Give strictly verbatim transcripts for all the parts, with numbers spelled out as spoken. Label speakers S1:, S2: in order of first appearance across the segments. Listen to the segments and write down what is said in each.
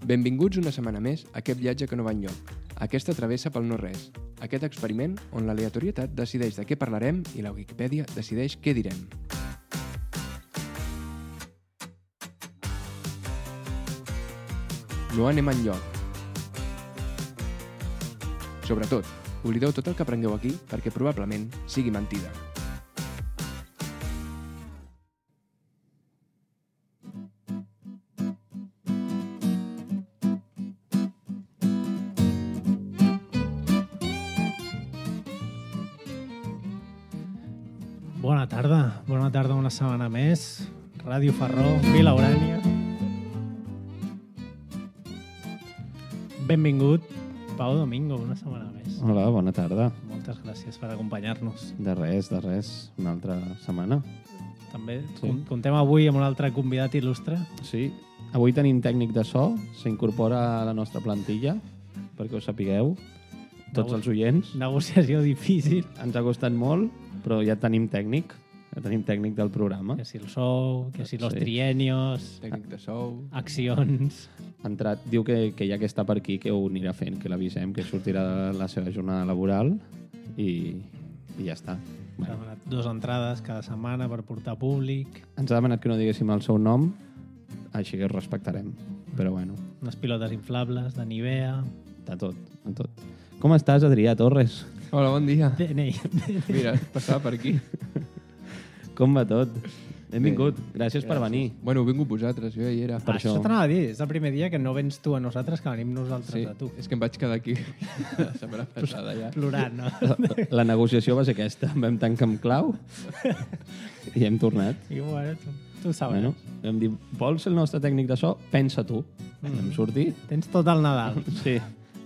S1: Benvinguts una setmana més a aquest viatge que no va enlloc, aquesta travessa pel no-res, aquest experiment on l'aleatorietat decideix de què parlarem i la Wikipedia decideix què direm. No anem enlloc. Sobretot, oblideu tot el que aprengueu aquí perquè probablement sigui mentida.
S2: Bona tarda, bona tarda una setmana més. Ràdio Farró, Vila Urània. Benvingut, Pau Domingo, una setmana més.
S3: Hola, bona tarda.
S2: Moltes gràcies per acompanyar-nos.
S3: De res, de res. Una altra setmana.
S2: També
S3: Sí.
S2: contem avui amb un altre convidat il·lustre.
S3: Sí. Avui tenim tècnic de so. S'incorpora a la nostra plantilla, perquè ho sapigueu. Tots els oients.
S2: Negociació difícil.
S3: Ens ha costat molt, però ja tenim tècnic. Ja tenim tècnic del programa.
S2: Que si el sou, que si los
S3: Sí.
S2: trienios,
S1: Tècnic de sou...
S2: accions...
S3: Ha entrat, diu que, que ja que està per aquí, que ho anirà fent, que l'avisem, que sortirà de la seva jornada laboral i, i ja està.
S2: S'ha
S3: Bueno,
S2: demanat dues entrades cada setmana per portar públic,
S3: ens ha demanat que no diguéssim el seu nom, així que ho respectarem. Però bueno,
S2: unes pilotes inflables de Nivea...
S3: de tot, de tot. Com estàs, Adrià Torres?
S1: Hola, bon dia.
S2: D N I.
S1: Mira, passava per aquí.
S3: Com va tot? Benvingut, gràcies, per venir.
S1: Bueno, heu vingut vosaltres, jo ja hi era.
S3: Per
S2: Això
S3: això.
S2: t'anava a dir, és el primer dia que no vens tu a nosaltres, que venim nosaltres
S1: Sí,
S2: a tu.
S1: és que em vaig quedar aquí la setmana passada ja.
S2: Plorant, no?
S3: La, la negociació va ser aquesta. Vam tancar amb clau i hem tornat.
S2: I bueno, tu, tu ho sabràs.
S3: Bueno, vam dir, vols ser el nostre tècnic de so? Pensa tu. Mm. Vam sortir.
S2: Tens tot el Nadal.
S3: Sí.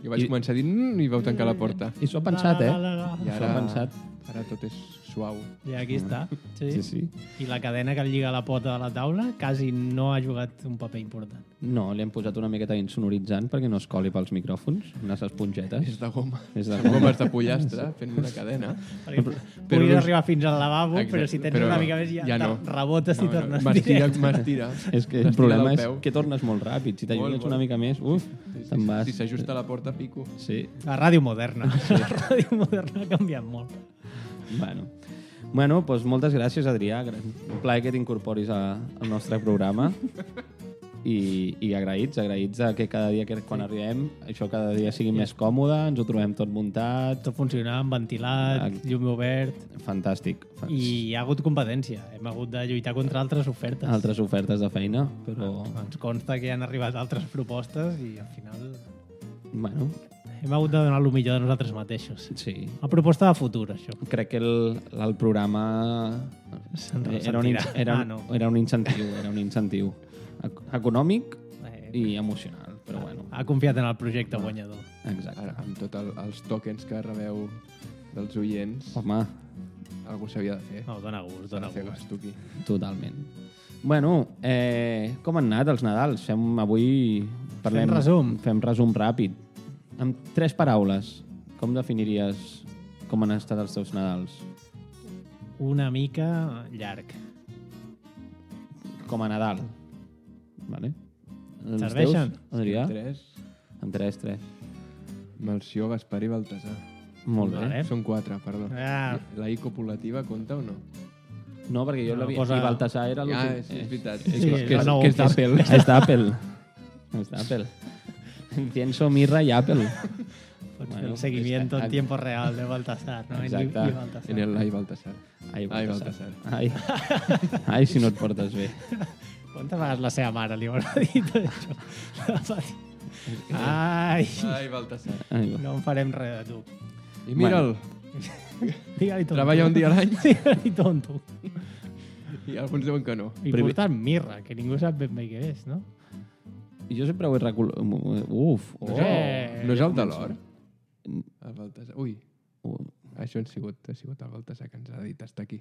S1: Jo vaig
S3: I-
S1: començar a dir mm, i vau tancar la porta.
S3: I s'ho ha pensat,
S2: La,
S3: eh?
S2: la, la,
S1: I
S2: la.
S3: S'ho
S1: ara,
S3: ha pensat.
S1: ara tot és suau.
S2: I aquí està. Sí.
S3: Sí, sí.
S2: I la cadena que el lliga a la pota de la taula quasi no ha jugat un paper important.
S3: No, li hem posat una miqueta insonoritzant perquè no es coli pels micròfons, unes espongetes.
S1: És de goma.
S3: És de
S1: Són
S3: goma.
S1: gomes de pollastre fent una cadena.
S2: Perquè
S1: però
S2: puguis
S1: no és-
S2: arribar fins al lavabo,
S1: Exacte,
S2: però si tens
S1: però
S2: una mica més ja,
S1: ja no.
S2: te rebotes i tornes
S1: M'estira,
S2: directe.
S1: m'estira.
S3: És que el
S1: M'estira
S3: problema
S1: del
S3: és
S1: peu.
S3: que tornes molt ràpid. Si t'allunyes
S1: Molt,
S3: una
S1: molt.
S3: mica més, uf,
S1: Sí, sí,
S3: te'n vas.
S1: Si s'ajusta a la porta, pico.
S3: Sí.
S2: La ràdio moderna. La ràdio moderna ha canviat molt.
S3: Bueno, bueno doncs moltes gràcies, Adrià. Un plaer que t'incorporis a- al nostre programa. I, i agraïts, agraïts de que cada dia que quan arribem això cada dia sigui més còmode, ens ho trobem tot muntat,
S2: Tot funcionant, ventilat,
S3: Exacte.
S2: llum obert...
S3: fantàstic.
S2: I hi ha hagut competència. Hem hagut de lluitar contra altres ofertes.
S3: Altres ofertes de feina, però
S2: Ens consta que han arribat altres propostes i al final
S3: bueno,
S2: hem hagut de donar el millor de nosaltres mateixos.
S3: sí.
S2: Una proposta de futur, això.
S3: Crec que el, el programa
S2: Se'n
S3: era un, in-
S2: ressentirà.
S3: era,
S2: Ah,
S3: un,
S2: no.
S3: era un incentiu, era un incentiu ec- econòmic
S2: Eh,
S3: i emocional, però bueno,
S2: Ha confiat en el projecte guanyador.
S3: exacte.
S1: Ara, amb tots el, els tokens que rebeu dels oients,
S3: Home,
S1: algú s'havia de fer.
S2: No, dona gust,
S1: S'ha
S2: dona
S1: de fer
S2: gust.
S1: gasto aquí.
S3: totalment. Bueno, eh, com han anat els Nadals? Fem avui... Parlem,
S2: Fem resum.
S3: Fem resum ràpid. Amb tres paraules, com definiries com han estat els teus Nadals?
S2: Una mica llarg.
S3: Com a Nadal. Vale? Els
S2: Serveixen?
S3: teus, Adrià?
S1: Tres,
S3: Amb tres, tres.
S1: Melcior, Gaspar i Baltasar.
S3: Molt bé.
S2: Vale.
S1: Són quatre, perdó.
S2: Ah,
S1: La I copulativa compta o no?
S3: No, perquè jo
S2: No,
S3: l'havia...
S2: posa-
S3: I Baltasar era
S1: Ah,
S3: l'últim.
S1: és, és veritat.
S2: Sí,
S1: és, que, que,
S2: la
S1: és,
S2: nou,
S1: que és
S2: que és-
S1: d'Apple.
S3: És d'Apple. És d'Apple. Incienso, mirra i Apple.
S2: pots
S3: Bueno,
S2: fer el seguimiento
S3: és-
S2: en tiempo real de Baltasar, no?
S3: Exacte.
S2: I, i Baltasar.
S1: En el Ai Baltasar.
S3: Ai,
S1: Ai,
S3: Baltasar.
S1: Baltasar.
S3: Ai. Ai, si no et portes bé.
S2: Quantes vegades la seva mare li haurà dit això? La va dir, Ai,
S1: Ai, Baltasar.
S3: Ai, va.
S2: no en farem res de tu.
S1: I mira'l,
S2: Digue-li tonto.
S1: treballa un dia a l'any
S2: Digue-li tonto.
S1: i alguns diuen que no.
S2: I
S3: Primer-
S2: portant mirra, que ningú sap ben bé què és, no?
S3: I jo sempre ho he recollit... Uf! Oh.
S1: No és,
S2: Eh,
S1: el, no és
S2: ja
S1: el de l'or? El Baltasar. Ui,
S3: Uh,
S1: això ha sigut, ha sigut el Baltasar que ens ha dit hasta aquí.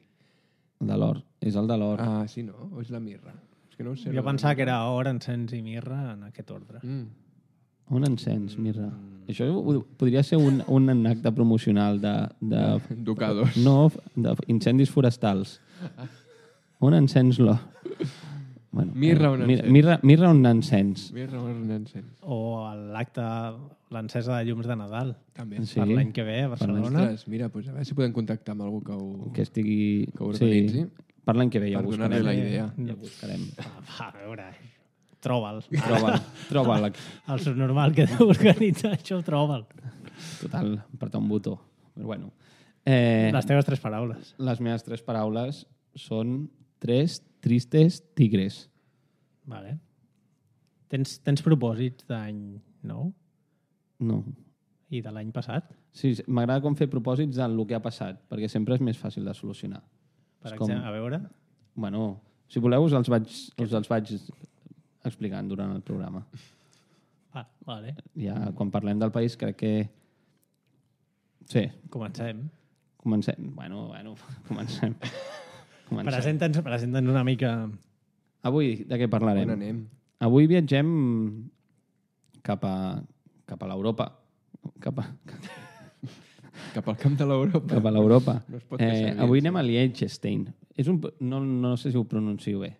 S3: el de l'or. És el de l'or.
S1: Ah, sí, no? O és la mirra? És que no ho sé.
S2: Jo pensava que era or, encens i mirra en aquest ordre.
S1: Mm.
S3: Un encens, mirra. Això ho- podria ser un, un acte promocional de... de
S1: Ducados.
S3: no, d'incendis forestals. Un encens l'or. Bueno,
S1: Mirra
S3: eh,
S1: un
S3: mirra,
S1: encens.
S3: mirra, mirra un encens.
S1: Mirra un encens.
S2: O l'acte, l'encesa de llums de Nadal.
S1: També.
S3: Sí.
S2: Per l'any que ve a Barcelona.
S1: Ostres, mira, pues a veure si podem contactar amb algú que ho,
S3: Que estigui...
S1: que ho organitzi.
S3: Sí, per l'any que ve ja
S1: Per
S3: ho
S1: donar-li
S3: buscarem.
S1: la idea.
S3: Ja ho buscarem.
S2: Va, va, a veure, troba'l.
S3: Troba'l, troba'l.
S2: El subnormal que deu organitzar això, troba'l.
S3: Total, apretar un botó. Però bueno. Eh,
S2: Les teves tres paraules.
S3: les meves tres paraules són tres tristes tigres.
S2: Vale. Tens, tens propòsits d'any nou
S3: No.
S2: i de l'any passat?
S3: Sí, sí, m'agrada com fer propòsits del que ha passat, perquè sempre és més fàcil de solucionar.
S2: Per
S3: És com-
S2: exemple, a veure...
S3: Bueno, si voleu us els vaig, us els vaig explicant durant el programa.
S2: Ah, vale.
S3: Ja quan parlem del país crec que... Sí,
S2: Comencem.
S3: comencem. Bueno, bueno, comencem. comencem.
S2: Presenta'ns presenta'ns una mica...
S3: Avui de què parlarem?
S1: On anem?
S3: Avui viatgem cap a, cap a l'Europa. Cap a,
S1: Cap al camp de l'Europa.
S3: cap a l'Europa.
S1: No es pot fer
S3: eh,
S1: servir,
S3: avui
S1: sí.
S3: anem a Liechtenstein. És un, no, no sé si ho pronuncio bé.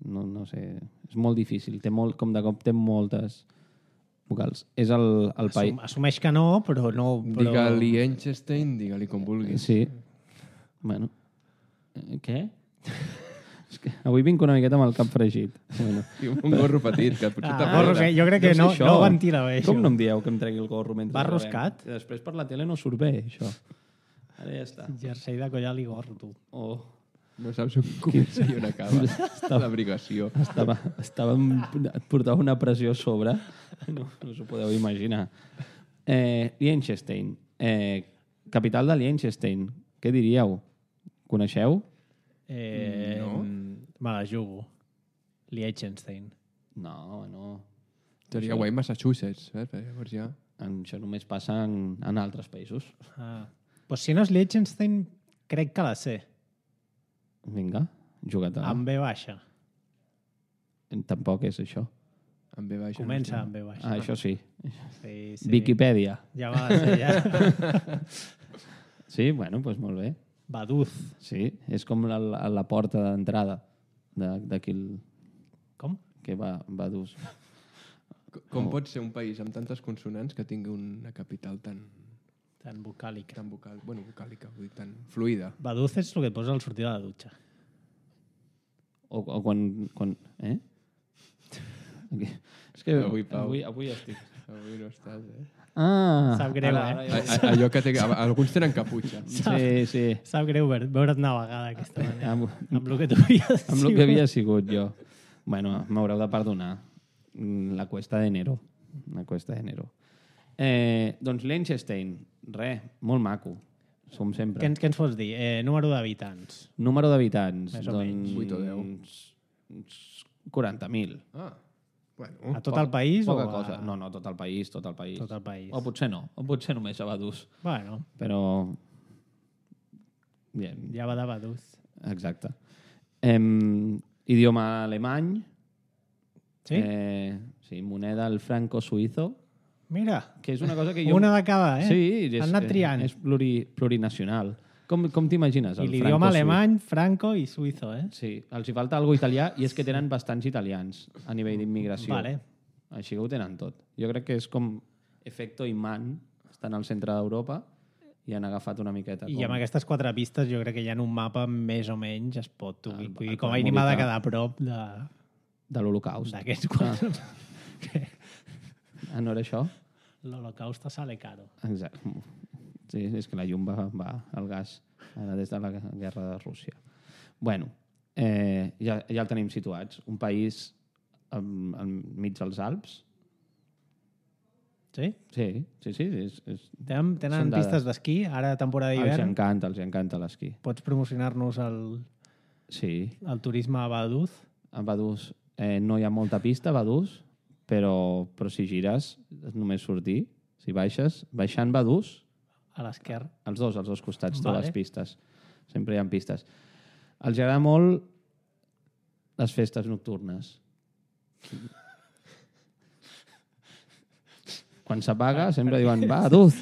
S3: No, no sé. És molt difícil. Té molt, com de cop té moltes vocals. És el, el país...
S2: Assum, assumeix que no, però no... Però...
S1: Digue-li Einstein, digue-li com vulguis.
S3: Sí. Bueno. Eh, Què? És que avui vinc una miqueta amb el cap fregit. Bueno.
S1: I un gorro petit, que potser
S2: Ah,
S1: t'apaga.
S2: gorro, que jo crec que
S3: sé
S2: no,
S3: això.
S2: no ho ventila bé, això.
S3: Com no em dieu que em tregui el gorro mentre
S2: Va
S3: gravem?
S2: roscat?
S3: I després per la tele no surt bé, això. Ara ja està.
S2: Jersei de collal i gorro, tu.
S3: Oh.
S1: No saps on comença i on acaba. L'abrigació.
S3: Estava, estava, et portava una pressió a sobre. No, no us ho podeu imaginar. Eh, Liechtenstein. Eh, capital de Liechtenstein. Què diríeu? Coneixeu?
S2: Eh,
S1: No.
S2: Me la jugo. Liechtenstein.
S3: No, no.
S1: Seria guai Massachusetts, eh? Perquè llavors ja...
S3: Això només passa en, en altres països.
S2: Ah. Pues si no és Liechtenstein, crec que la sé.
S3: Vinga, juga't a...
S2: Amb B baixa.
S3: Tampoc és això.
S1: Amb B baixa.
S2: Comença
S1: no sé.
S2: amb B baixa.
S3: Ah, això sí.
S2: Sí, sí.
S3: Viquipèdia.
S2: Ja me la sé, ja.
S3: Sí, bueno, doncs molt bé.
S2: Baduz.
S3: Sí, és com la, la, la porta d'entrada de- d'aquí el...
S2: Com?
S3: que va, va dur.
S1: Com- Com pot ser un país amb tantes consonants que tingui una capital tan,
S2: Tan vocàlica.
S1: tan vocal, bueno, vocàlica, vull dir, tan fluida?
S2: Baduz és el que et posa al sortir de la dutxa.
S3: O, o quan... quan eh? Aquí. És que
S1: Avui, Pau.
S3: avui, avui estic...
S1: Avui no estàs, eh?
S3: Ah!
S2: Sap greu,
S3: ara,
S2: eh?
S3: ara
S1: A,
S3: ja...
S1: a, allò que té... a- Alguns tenen caputxa.
S3: Sí, sí.
S2: Sap greu veure- veure't navegada d'aquesta manera.
S3: Amb,
S2: Amb el que tu havies
S3: amb el que havia sigut jo. Bueno, m'haureu de perdonar. Mm, La cuesta d'enero. La cuesta d'enero. Eh, doncs Liechtenstein, res, molt maco. Som sempre.
S2: Què, ens- què ens pots dir? Eh, número d'habitants.
S3: Número d'habitants.
S2: Més o menys.
S1: vuit o deu.
S3: quaranta mil.
S1: Ah, bueno.
S2: A tot el país
S3: Poca
S2: o a...
S3: cosa. No, no, tot el país, tot el país.
S2: Tot el país.
S3: O potser no, o potser només a Badús.
S2: Bueno,
S3: Però... Bien,
S2: ja va de Baduz.
S3: exacte. Em, idioma alemany.
S2: Sí?
S3: Eh, sí, moneda el franco suïzo,
S2: Mira,
S3: que és una cosa que jo...
S2: una de cada, eh?
S3: Sí, és,
S2: Han anat triant.
S3: és pluri, plurinacional. Com, com t'imagines?
S2: I
S3: el
S2: l'idioma
S3: franco-suï?
S2: alemany, franco i suïzo, eh?
S3: Sí, els hi falta algo italià i és que tenen bastants italians a nivell d'immigració.
S2: Vale.
S3: Així que ho tenen tot. Jo crec que és com efecto imant, estan al centre d'Europa i han agafat una miqueta.
S2: I
S3: com...
S2: amb aquestes quatre pistes jo crec que ja en un mapa més o menys es pot
S3: El-
S2: ubicar. Vull
S3: el
S2: dir, com a
S3: pot
S2: mínim ha de
S3: ubicar.
S2: quedar a prop de-
S3: De l'Holocaust.
S2: d'aquests quatre.
S3: Ah, no era això?
S2: L'Holocaust sale caro.
S3: Exacte. Sí, és que la llum va, va al gas ara des de la guerra de Rússia. Bueno, eh, ja, ja el tenim situats. Un país am- enmig dels Alps.
S2: Sí?
S3: Sí, sí, sí. És, és...
S2: Tenen,
S3: Són
S2: tenen
S3: dades.
S2: pistes d'esquí, ara temporada
S3: Els
S2: d'hivern.
S3: encanta, els encanta l'esquí.
S2: Pots promocionar-nos el,
S3: Sí,
S2: el turisme a Baduz?
S3: a Badús eh, no hi ha molta pista, a Badús, però, però si gires és només sortir. Si baixes, baixant Badús,
S2: A l'esquerra.
S3: els dos, als dos costats,
S2: Vale.
S3: trobes pistes. Sempre hi ha pistes. Els agrada molt les festes nocturnes. Quan s'apaga sempre diuen, va, Badús!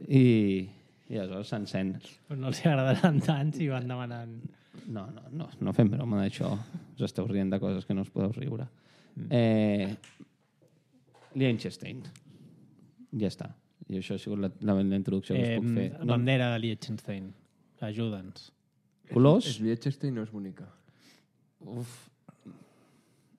S3: I, i aleshores s'encén.
S2: Però no els agradaran tant si van demanant...
S3: No, no, no, no fem broma d'això. Us esteu rient de coses que no us podeu riure. Eh, Liechtenstein. Ja està. I això ha sigut la, la, la introducció que us puc fer.
S2: No? Bandera de Liechtenstein. Ajuda'ns.
S3: Colors?
S1: És Liechtenstein no és bonica.
S3: Uf.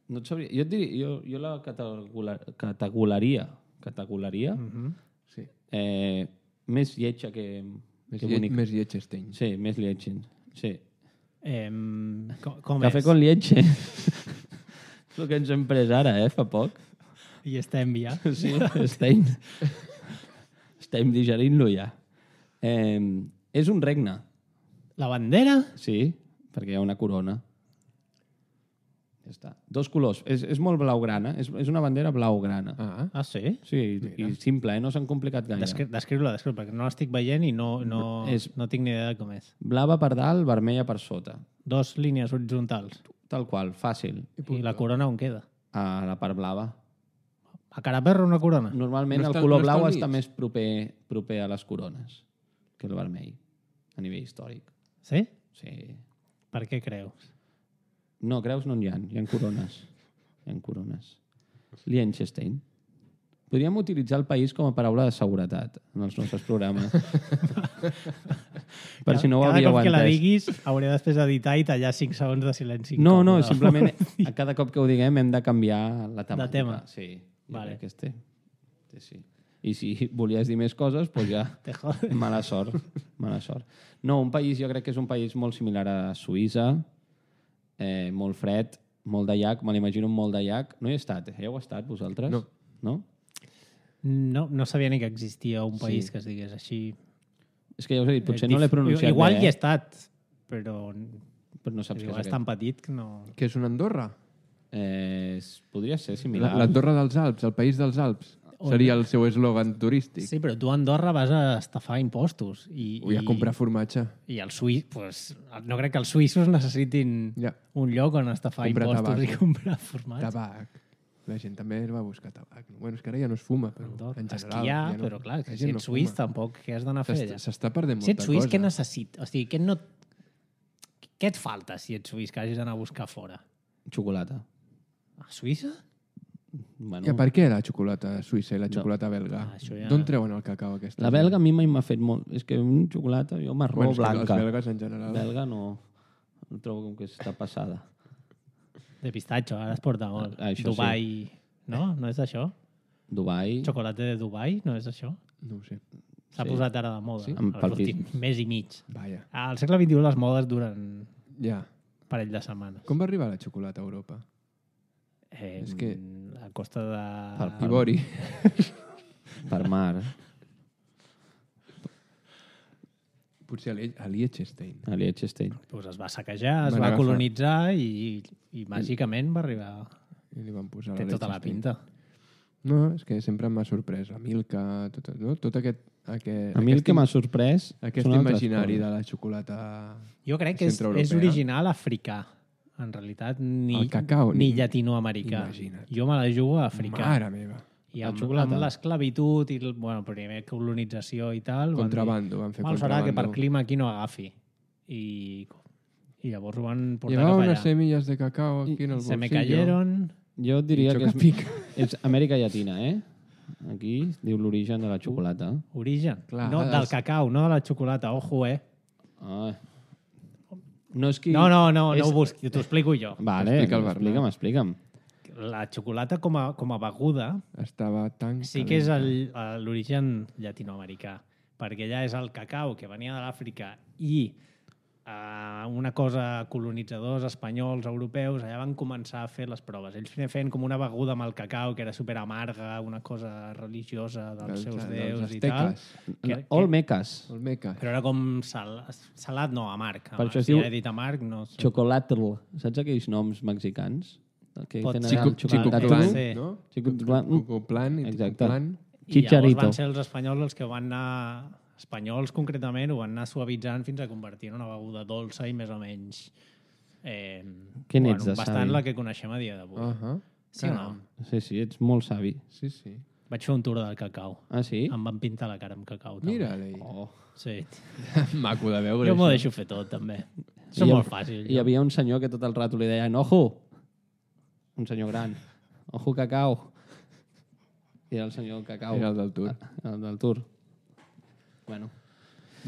S3: No et sabria. Jo, et diria, jo, jo la categolar, categolaria, categolaria
S2: Mm -hmm.
S1: Sí.
S3: eh, més lletja que,
S1: Més,
S3: que
S1: lle
S3: bonica.
S1: més Liechtenstein.
S3: Sí, més lletja. Sí.
S2: Eh, com, com
S3: Cafè
S2: és?
S3: con leche. És el que ens hem pres ara, eh, fa poc.
S2: I estem ja.
S3: Sí, estem, estem digerint-lo ja. Eh, és un regne.
S2: La bandera?
S3: Sí, perquè hi ha una corona. Ja està. Dos colors. És, és molt blaugrana. És, és una bandera blaugrana.
S1: Ah,
S2: Ah, sí?
S3: Sí, i, i simple, eh? No s'han complicat gaire.
S2: Descri Descriu-la, descriu perquè no l'estic veient i no, no,
S3: És-
S2: no tinc ni idea de com és.
S3: Blava per dalt, vermella per sota.
S2: Dos línies horitzontals.
S3: Tal qual, fàcil.
S2: I la corona on queda?
S3: A la part blava.
S2: A cara perro una corona?
S3: Normalment
S1: No
S3: el
S1: està-
S3: color
S1: no està
S3: blau
S1: al
S3: està
S1: mig?
S3: més proper, proper a les corones que el vermell, a nivell històric.
S2: Sí?
S3: Sí.
S2: Per què creus?
S3: No, creus no n'hi ha, hi ha corones. Hi ha corones. Liechtenstein. Podríem utilitzar el país com a paraula de seguretat en els nostres programes. per si no ho
S2: Cada
S3: havíeu
S2: cop que la
S3: entès.
S2: diguis hauré després d'editar i tallar cinc segons de silenci.
S3: No, no,
S2: incòmode.
S3: simplement a cada cop que ho diguem hem de canviar la temàtica.
S2: tema.
S3: Sí,
S2: Vale.
S3: vale. Que este. Sí, sí. I si volies dir més coses, doncs ja...
S2: Te jode.
S3: Mala sort. Mala sort. No, un país, jo crec que és un país molt similar a Suïssa, eh, molt fred, molt de llac, me l'imagino molt de llac. No hi he estat, eh? Hi heu estat vosaltres?
S1: No.
S3: No?
S2: No, no sabia ni que existia un país
S3: Sí.
S2: que es digués així.
S3: És que ja us he dit, potser
S2: Eh,
S3: no l'he
S2: dif-
S3: pronunciat
S2: Igual
S3: bé,
S2: hi he
S3: eh?
S2: estat, però
S3: però no saps què
S2: igual
S3: és
S2: és
S3: aquest.
S2: tan petit que no...
S1: que és una Andorra?
S3: Eh, es- podria ser
S1: La-
S3: similar.
S1: L'Andorra dels Alps, el país dels Alps.
S2: On-
S1: Seria el seu eslògan turístic.
S2: Sí, però tu a Andorra vas a estafar impostos. I,
S1: Vull a
S2: i,
S1: comprar formatge.
S2: I els suïssos... Pues, no crec que els suïssos necessitin
S1: Ja.
S2: un lloc on estafar
S1: Comprar
S2: impostos
S1: tabac.
S2: i comprar formatge.
S1: Tabac. La gent també va buscar tabac. Bueno, és que ara ja no es fuma, però
S2: Andorra.
S1: en general...
S2: Esquiar,
S1: ja no,
S2: però clar,
S1: la
S2: que
S1: gent
S2: si
S1: no
S2: ets suís
S1: fuma.
S2: tampoc, què has d'anar a fer
S1: S'est-
S2: allà?
S1: S'està perdent
S2: Si
S1: molta
S2: ets suís,
S1: cosa.
S2: què necessites? O sigui, què, no... què et falta si ets suís que hagis d'anar a buscar fora?
S3: Xocolata.
S2: A Suïssa?
S3: Bueno,
S1: Ja, per què la xocolata suïssa i la xocolata belga?
S2: Ah, això ja-
S1: D'on treuen el cacau aquesta?
S3: la belga a mi mai m'ha fet molt... És que un xocolata, jo marró
S1: Bueno, és que
S3: blanca.
S1: Els belgues en general.
S3: Belga no... No trobo com que està passada.
S2: De pistatxo, ara es porta molt.
S3: Ah, això
S2: Dubai... No? No és això?
S3: Dubai...
S2: Xocolata de Dubai? No és això?
S1: No ho sé.
S2: S'ha
S3: Sí.
S2: posat ara de moda.
S1: Sí?
S3: Amb
S2: Els últims
S3: palpis.
S2: mes i mig.
S1: Vaja.
S2: Al segle vint-i-u les modes duren
S1: Ja.
S2: un parell de setmanes.
S1: Com va arribar la xocolata a Europa?
S2: Eh,
S1: És que-
S2: A costa de...
S3: Per-
S1: Ivori.
S3: Per mar.
S1: Potser a Lie- a Liechtenstein.
S3: A Liechtenstein.
S2: Pues es va saquejar, es
S1: Van
S2: va
S1: agafar.
S2: colonitzar i, i màgicament va arribar...
S1: I li van posar
S2: Té
S1: la
S2: tota la
S1: Liechtenstein.
S2: pinta.
S1: No, és que sempre m'ha sorprès. La Milka, tot, no? tot aquest... aquest
S3: A mi el
S1: aquest
S3: que
S1: im-
S3: m'ha sorprès
S1: Aquest
S3: són altres
S1: imaginari
S3: coses.
S1: de la xocolata...
S2: Jo crec que és,
S1: centreeuropea.
S2: és original africà. En realitat, ni,
S1: El cacau,
S2: ni
S1: ni-
S2: llatinoamericà.
S1: Imagina't.
S2: Jo me la jugo a africà.
S1: Mare meva.
S2: I
S3: La
S2: amb,
S3: xocolata.
S2: amb l'esclavitud i el, bueno, primer colonització i tal... van dir,
S1: Contrabando, van fer
S2: Mal serà que per
S1: contrabando.
S2: clima aquí no agafi. I, i llavors ho van portar
S1: Llevaba
S2: cap
S1: unas
S2: allà.
S1: semillas de cacao aquí en el
S2: Se
S1: bolsillo.
S2: me cayeron...
S3: Jo et diria
S1: I
S3: que és,
S1: xoca-pica.
S3: és Amèrica Llatina, eh? Aquí diu l'origen de la xocolata.
S2: Origen.
S1: Clar,
S2: no,
S1: els-
S2: del cacau, no de la xocolata. Ojo, eh?
S3: Ah. No és qui...
S2: No, no, no,
S3: és...
S2: no ho busqui, t'ho explico jo.
S3: Vale,
S1: Explica el Bernat.
S3: explica'm, explica'm.
S2: La xocolata com a, com a beguda
S1: Estava tan...
S2: sí que és
S1: calenta.
S2: el- l'origen llatinoamericà, perquè allà és el cacau que venia de l'Àfrica i uh, una cosa colonitzadors espanyols, europeus, allà van començar a fer les proves. Ells feien com una beguda amb el cacau que era super amarga, una cosa religiosa dels,
S1: Dels-
S2: seus
S1: dels
S2: déus i tal.
S1: asteques.
S2: Que,
S3: Olmecas.
S1: Olmeca.
S2: però era com sal, salat, no, amarg.
S3: Per això es
S2: si
S3: diu
S2: ja he dit amarg, no sé.
S3: Chocolatl. Saps aquells noms mexicans? El que
S2: Pot
S3: tenen
S2: ser.
S3: el
S1: Chico,
S3: xocolatl.
S2: Chico-
S1: Chicoplan,
S2: sí.
S1: no?
S3: Chicoplan.
S1: Chicoplan i
S3: Exacte.
S1: Chicoplan.
S2: I
S3: Chicharito.
S2: llavors van ser els espanyols els que van anar, espanyols concretament, ho van anar suavitzant fins a convertir en una beguda dolça i més o menys eh,
S3: Què n'ets de
S2: bastant
S3: savi?
S2: la que coneixem a dia d'avui.
S1: Uh -huh.
S2: Sí o no?
S3: Sí, sí, ets molt savi.
S1: Sí, sí.
S2: Vaig fer un tour del cacau.
S3: Ah, sí?
S2: Em van pintar la cara amb cacau. També.
S1: Mira-li.
S3: Oh.
S2: Sí.
S1: Maco de veure
S2: Jo m'ho
S1: això.
S2: deixo fer tot, també. Això és
S3: hi
S2: molt
S3: ha-
S2: fàcil.
S3: Hi havia un senyor que tot el rato li deien ojo, un senyor gran, ojo cacau. I era el senyor cacau.
S1: Era el del Tour.
S3: El del Tour. Bueno.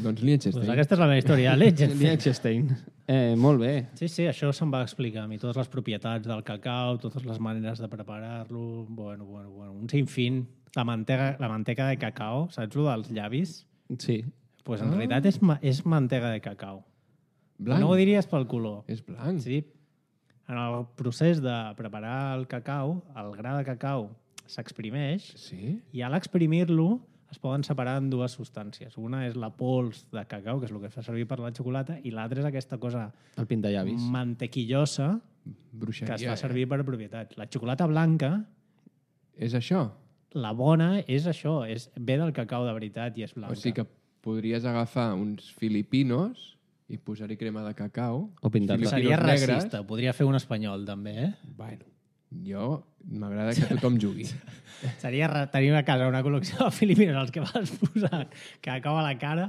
S1: Doncs Liechtenstein.
S2: Pues aquesta és la meva història de Liechtenstein.
S3: Liechtenstein. Eh, molt bé.
S2: Sí, sí, això se'm va explicar a mi. Totes les propietats del cacau, totes les maneres de preparar-lo... Bueno, bueno, bueno. Un sinfín. La mantega, la manteca de cacau, saps lo dels llavis?
S3: Sí.
S2: Pues en ah. realitat és, ma és mantega de cacau.
S1: Blanc.
S2: No ho diries pel color.
S1: És blanc.
S2: Sí. En el procés de preparar el cacau, el gra de cacau s'exprimeix
S1: Sí?
S2: i a l'exprimir-lo es poden separar en dues substàncies. Una és la pols de cacau, que és el que fa servir per la xocolata, i l'altra és aquesta cosa
S3: El pintallavis.
S2: mantequillosa
S1: Bruixeria.
S2: que es fa
S1: eh?
S2: servir per propietats. La xocolata blanca,
S1: És això?
S2: la bona, és això. És, ve del cacau de veritat i és blanca.
S1: O sigui que podries agafar uns filipinos i posar-hi crema de cacau.
S3: O pintar-la.
S2: Seria
S1: Filipinos
S2: racista. Podria fer un espanyol, també, eh?
S1: Bueno, jo m'agrada que tothom jugui.
S2: Seria ra- tenir a casa una col·lecció de filipines als que vas posar cacau a la cara.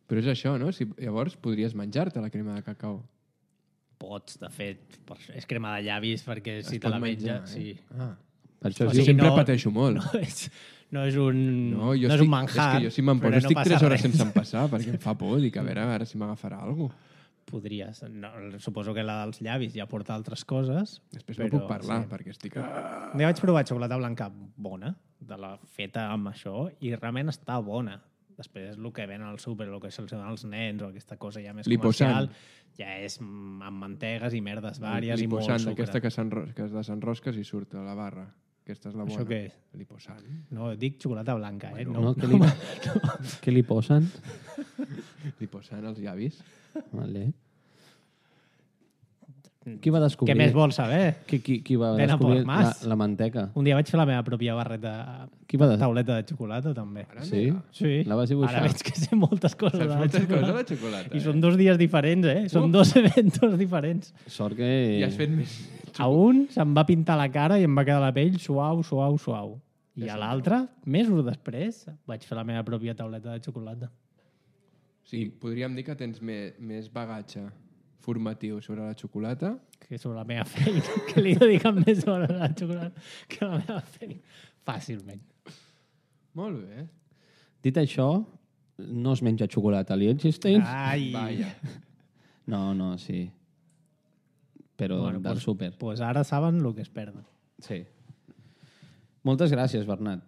S1: Però és això, no? Si, llavors podries menjar-te la crema de cacau.
S2: Pots, de fet. per això- És crema de llavis, perquè si
S1: Es
S2: te
S1: pot
S2: la
S1: menjar,
S2: menja...
S1: eh?
S2: Sí.
S1: Ah.
S3: Per això
S2: O
S3: es
S1: Jo
S3: diu...
S2: sigui,
S1: sempre
S2: no-
S1: pateixo molt.
S2: No és, no és un,
S1: No, jo
S2: no és
S1: estic,
S2: un manjar.
S1: és que jo si me'n
S2: però
S1: poso
S2: no
S1: estic
S2: passa
S1: tres hores
S2: res.
S1: sense empassar perquè em fa por. Dic, a veure, a veure si m'agafarà alguna cosa.
S2: Podries. No, suposo que la dels llavis ja porta altres coses.
S1: Després
S2: però,
S1: no puc parlar
S2: sí.
S1: perquè estic... Ah.
S2: Un dia vaig provar xocolata blanca bona, de la feta amb això, i realment està bona. Després el que ven al súper, el que se'ls dona als nens, o aquesta cosa ja més
S1: Liposant.
S2: comercial, ja és mm, amb mantegues i merdes vàries i molt
S1: Liposant,
S2: sucre.
S1: aquesta que, s'enro- que es desenrosques i surt a la barra. Aquesta és la bona.
S2: Això què és?
S1: Liposant.
S2: No, dic xocolata blanca, eh?
S3: No,
S2: No,
S3: què, li... què li posen?
S1: Liposant als llavis.
S3: Vale. Qui va descobrir...
S2: Què més vols saber?
S3: Qui, qui, qui va
S2: Ven a
S3: descobrir
S2: por
S3: la,
S2: más.
S3: la manteca?
S2: Un dia vaig fer la meva pròpia barreta,
S3: Qui va des-
S2: tauleta de xocolata, també.
S1: Ara
S3: Sí?
S1: mira.
S2: Sí.
S3: La vas dibuixar?
S2: Ara veig que sé moltes coses de
S1: Saps
S2: la
S1: moltes coses de
S2: xocolata.
S1: la xocolata.
S2: I
S1: eh?
S2: són dos dies diferents, eh? Són
S1: Uh.
S2: dos eventos diferents.
S3: Sort que...
S1: I has fet més...
S2: A un se'm va pintar la cara i em va quedar la pell suau, suau, suau. I a l'altre, mesos després, vaig fer la meva pròpia tauleta de xocolata.
S1: Sí, podríem dir que tens més, més bagatge formatiu sobre la xocolata.
S2: Que sobre la meva feina, que li dediquen més sobre la xocolata que la meva feina. Fàcilment.
S1: Molt bé.
S3: Dit això, no es menja xocolata a Liechtenstein?
S2: Ai!
S1: Vaja.
S3: No, no, sí. Però
S2: Bueno,
S3: del
S2: pues,
S3: súper.
S2: pues ara saben el que es perden.
S3: Sí. Moltes gràcies, Bernat.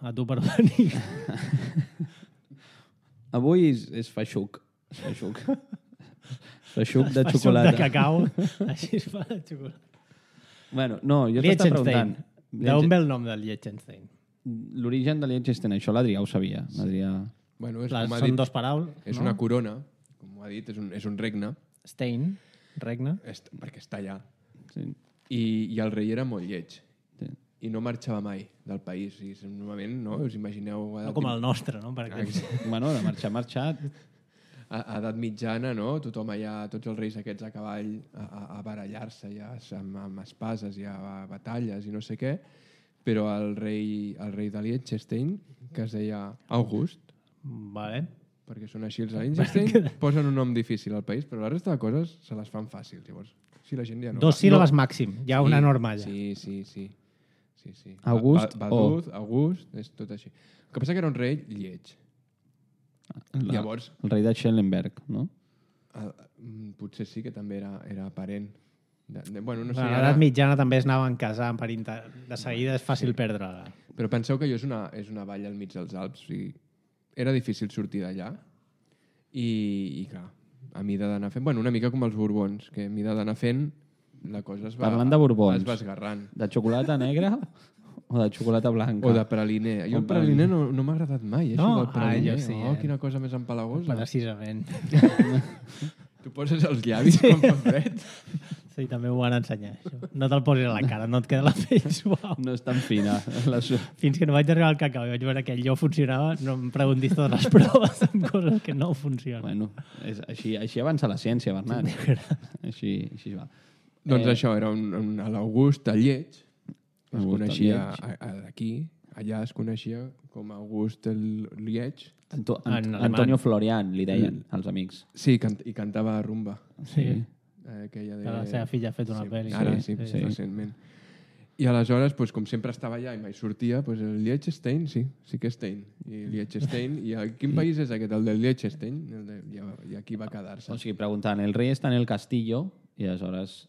S2: A tu per venir.
S3: Avui és, és feixuc. És feixuc. Feixuc de
S2: Fa suc
S3: xocolata.
S2: de cacau. Així es fa la xocolata.
S3: Bueno, no, jo t'estava
S2: Liechtenstein.
S3: preguntant.
S2: D'on ve el nom del Liechtenstein?
S3: L'origen de Liechtenstein, això l'Adrià ho sabia. L'Adrià...
S1: Bueno, és,
S2: Les,
S1: com ha
S2: són
S1: dit,
S2: dos paraules.
S1: és
S2: no?
S1: una corona, com ha dit, és un, és un regne,
S2: Stein, regne.
S1: és, perquè està allà.
S3: Sí.
S1: I, I el rei era molt lleig.
S3: Sí.
S1: I no marxava mai del país. I normalment, no? Us imagineu... a
S2: No
S1: edat
S2: com
S1: mit-
S2: el nostre, no? Per exemple.
S3: Bueno, de marxar, marxat.
S1: a, a edat mitjana, no? Tothom allà, tots els reis aquests a cavall, a, a, a barallar-se ja amb, amb espases i a, a batalles i no sé què, però el rei, el rei de Liechtenstein, que es deia August,
S2: Vale.
S1: perquè són així els de Liechtenstein, posen un nom difícil al país, però la resta de coses se les fan fàcils. Llavors, si la gent ja no...
S2: Dos
S1: va-
S2: síl·labes
S1: no.
S2: màxim. Hi ha una norma allà.
S1: Sí, sí, sí. sí, sí.
S3: August
S1: Ba- Baduz, August, és tot així. El que passa que era un rei lleig.
S3: La,
S1: Llavors,
S3: el rei de Schellenberg, no?
S1: el, mm, potser sí que també era, era parent. De, de, bueno, no sé,
S2: A
S1: ara,
S2: l'edat mitjana també es anaven casant per inter... De seguida és fàcil perdre-la.
S1: però penseu que allò és una, és una vall al mig dels Alps. O sigui, era difícil sortir d'allà i, i clar, a mida d'anar fent... Bueno, una mica com els Borbons, que a mida d'anar fent la cosa es va...
S3: Parlant de Borbons.
S1: Es va esgarrant.
S3: De xocolata negra o de xocolata blanca?
S1: O de praliner. Jo el praliner no, no m'ha agradat mai, eh,
S2: No?
S1: això del praliner.
S2: Ah, jo sí,
S1: oh,
S2: eh?
S1: quina cosa més empalagosa.
S2: Precisament.
S1: Tu poses els llavis quan fa fred.
S2: Sí, també m'ho van ensenyar, això. No te'l posis a la cara, no et queda la pell suau.
S3: No és tan fina. La su...
S2: Fins que no vaig arribar al cacau i vaig veure que allò funcionava, no em preguntis totes les proves amb coses que no funcionen.
S3: Bueno, és, així, així avança la ciència, Bernat. Així, així va.
S1: Doncs
S3: Eh,
S1: això, era un, un, a l'August, a Lleig, es
S3: August,
S1: coneixia
S3: a
S1: a- a- d'aquí, allà es coneixia com August el Liech.
S3: Anto
S2: En
S3: Ant
S2: alemany.
S3: Antonio Florian, li deien, els amics.
S1: Sí, cant i cantava rumba.
S2: Sí.
S1: Eh, aquella de...
S2: Que la seva filla ha fet una
S1: sí,
S2: pel·li.
S1: Ara,
S2: Sí,
S1: sí,
S2: sí.
S1: sí, recentment. I aleshores, pues, com sempre estava allà i mai sortia, pues, el Liechtenstein, sí, sí que Stein. I Liechtenstein, i a quin país és aquest, el del Liechtenstein? El de, i, I aquí va quedar-se.
S3: O sigui, preguntant, el rei està en el castillo, i aleshores...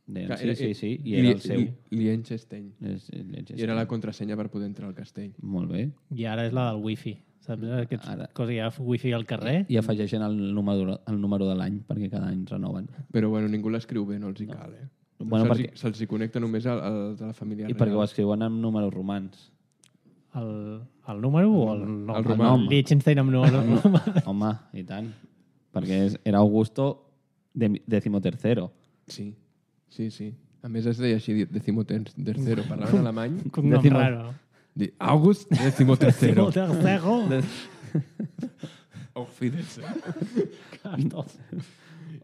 S3: Deien,
S1: Clar,
S3: sí,
S1: era-
S3: sí, sí, i era el seu.
S1: Li- Liechtenstein.
S3: És, és,
S1: I era la contrasenya per poder entrar al castell.
S3: Molt bé.
S2: I ara és la del wifi. Saps? Aquests
S3: Ara.
S2: coses hi ha wifi al carrer.
S3: I afegeixen el número, el número de l'any, perquè cada any renoven.
S1: Però bueno, ningú l'escriu bé, no els hi cal, eh?
S3: Bueno,
S1: Se'ls
S3: perquè-
S1: hi- se'ls hi connecta només al, al de la família
S3: I perquè ho escriuen amb números romans.
S2: El, el número o el nom?
S1: El nom.
S2: Liechtenstein amb número.
S3: Home, i tant. Perquè és, era Augusto de, decimotercero.
S1: Sí, sí, sí. A més es deia així, decimotercero. Parlaven alemany.
S2: Un nom
S3: Décimo-
S2: raro.
S1: Di- August decimotercero.
S2: Tercero.
S1: Auf Wiedersehen.